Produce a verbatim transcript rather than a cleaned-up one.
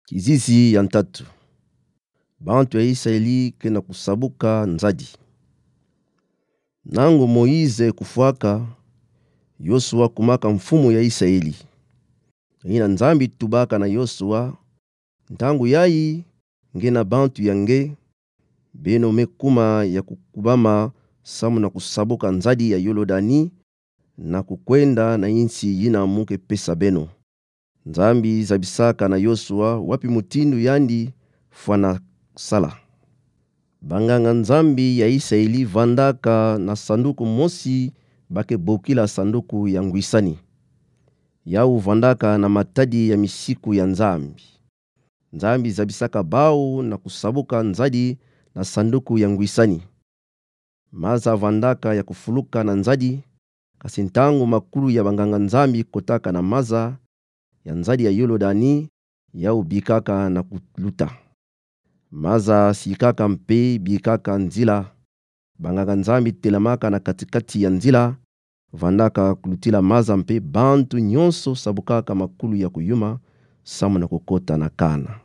Kizizi ya ntatu. Bantu ya Isaeli ke na kusabuka nzadi. Nangu Moïse kufwaka, Yosua kumaka mfumu ya Isaeli. Ina Nzambi tubaka na Yosua: Ntangu yayi, nge na bantu ya nge, beno me kuma ya kukubama samu na kusabuka nzadi ya Yolodani, na kukwenda na insi yina mu ke pesa beno. Nzambi zabisaka na Yosua wapi mutindu yandi fwana sala. Banganga-Nzambi ya Isaeli vandaka na sanduku mosi ba ke bokila sanduku ya ngwisani. Yau vandaka na matadi ya misiku ya Nzambi. Nzambi zabisaka bau na kusabuka nzadi na sanduku ya ngwisani. Maza vandaka ya kufuluka na nzadi, kasi ntangu makulu ya banganga-Nzambi kotaka na maza ya nzadi ya Yolodani, yau bikaka na kuluta. Maza sikaka mpe bikaka nzila. Banganga-Nzambi telamaka na kati-kati ya nzila, vandaka kulutila maza mpe bantu nyonso sabukaka makulu ya kuyuma, samu na kukota na Kana.